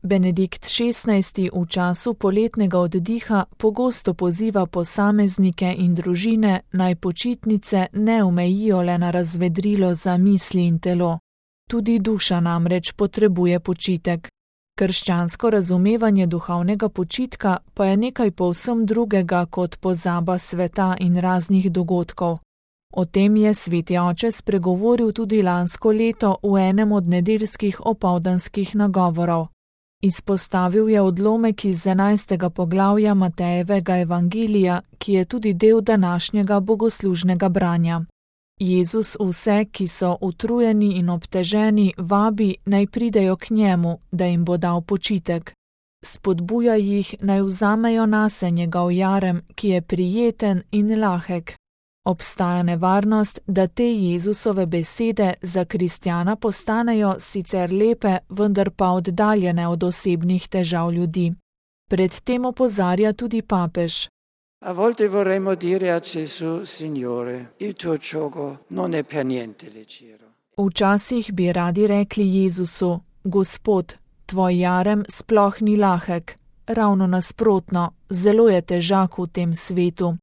Benedikt XVI. V času poletnega oddiha pogosto poziva posameznike in družine, naj počitnice ne omejijo le na razvedrilo za misli in telo. Tudi duša namreč potrebuje počitek. Krščansko razumevanje duhovnega počitka pa je nekaj povsem drugega kot pozaba sveta in raznih dogodkov. O tem je sveti oče spregovoril tudi lansko leto v enem od nedeljskih opoldanskih nagovorov. Izpostavil je odlomek iz 11. poglavja Matejevega evangelija, ki je tudi del današnjega bogoslužnega branja. Jezus vse, ki so utrujeni in obteženi, vabi, naj pridejo k njemu, da jim bo dal počitek. Spodbuja jih, naj vzamejo nase njegov jarem, ki je prijeten in lahek. Obstaja nevarnost, da te Jezusove besede za kristjana postanejo sicer lepe, vendar pa oddaljene od osebnih težav ljudi. Pred tem opozarja tudi papež. A volte vorremmo dire a Gesù, Signore, il tuo giogo non è per niente leggero. Včasih bi radi rekli Jezusu, Gospod, tvoj jarem sploh ni lahek, ravno nasprotno, zelo je težak v tem svetu.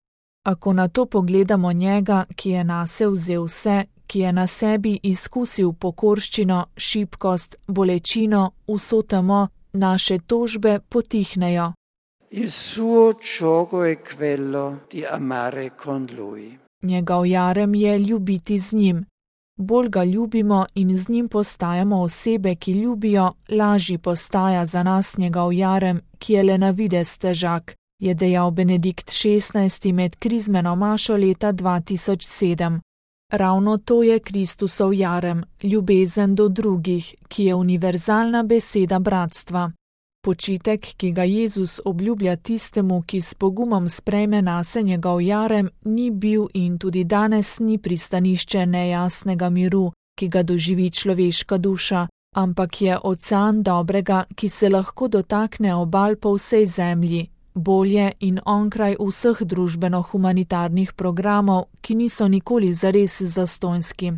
Ako na to pogledamo njega, ki je nase vzel vse, ki je na sebi izkusil pokorščino, šibkost, bolečino, vso temo, naše tožbe potihnejo. Il suo giogo è quello di amare con lui. Njegov jarem je ljubiti z njim. Bolj ga ljubimo in z njim postajamo osebe, ki ljubijo, lažji postaja za nas njegov jarem, ki je le na videz težak, je dejal Benedikt XVI. Med krizmeno mašo leta 2007. Ravno to je Kristusov jarem, ljubezen do drugih, ki je univerzalna beseda bratstva. Počitek, ki ga Jezus obljublja tistemu, ki s pogumom sprejme nase njegov jarem, ni bil in tudi danes ni pristanišče nejasnega miru, ki ga doživi človeška duša, ampak je ocean dobrega, ki se lahko dotakne obal po vsej zemlji, bolje in onkraj vseh družbeno-humanitarnih programov, ki niso nikoli zares zastonjski.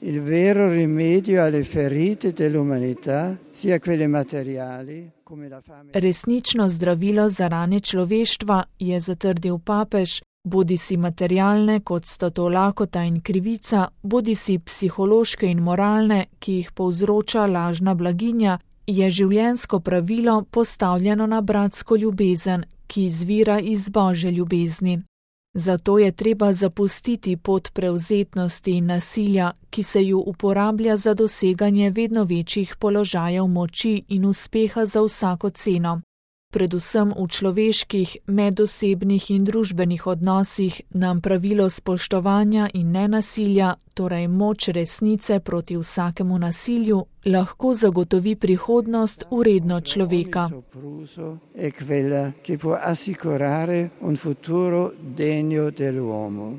Il vero rimedio alle ferite dell'umanità, sia quelle materiali come la fame. Resnično zdravilo za rane človeštva, je zatrdil papež, bodisi materialne, kot sta to lakota in krivica, bodisi psihološke in moralne, ki jih povzroča lažna blaginja, je življenjsko pravilo postavljeno na bratsko ljubezen, ki izvira iz Božje ljubezni. Zato je treba zapustiti pot prevzetnosti in nasilja, ki se ju uporablja za doseganje vedno večjih položajev moči in uspeha za vsako ceno. Predvsem v človeških, medosebnih in družbenih odnosih nam pravilo spoštovanja in nenasilja, torej moč resnice proti vsakemu nasilju, lahko zagotovi prihodnost vredno človeka. È quella che può assicurare un futuro degno dell'uomo.